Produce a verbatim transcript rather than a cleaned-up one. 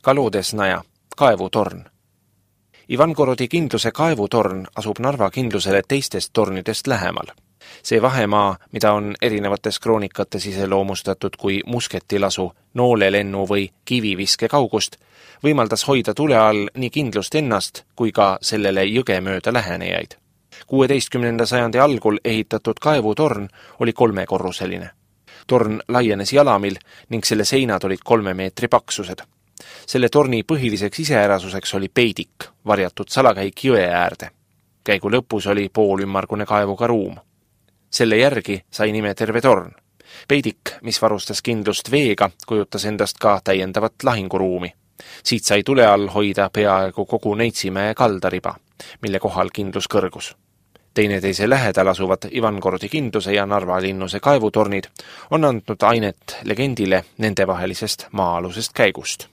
Kalodesnaja, kaevutorn. Ivangorodi kindluse kaevutorn asub Narva kindlusele teistest tornidest lähemal. See vahemaa, mida on erinevates kroonikates iseloomustatud kui musketilasu, noolelennu või kiviviske kaugust, võimaldas hoida tule all nii kindlust ennast kui ka sellele jõge mööda lähenejaid. kuueteistkümnenda sajandi algul ehitatud kaevutorn oli kolmekorruseline. Torn laienes jalamil ning selle seinad olid kolme meetri paksused. Selle torni põhiliseks iseärasuseks oli peidik, varjatud salakäik jõe äärde. Käigu lõpus oli poolümmargune kaevuga ruum. Selle järgi sai nime terve torn. Peidik, mis varustas kindlust veega, kujutas endast ka täiendavat lahinguruumi. Siit sai tule all hoida peaaegu kogu Neitsimäe kaldariba, mille kohal kindlus kõrgus. Teineteise lähedal asuvad Ivangorodi kindluse ja Narva linnuse kaevutornid on andnud ainet legendile nendevahelisest maa-alusest käigust.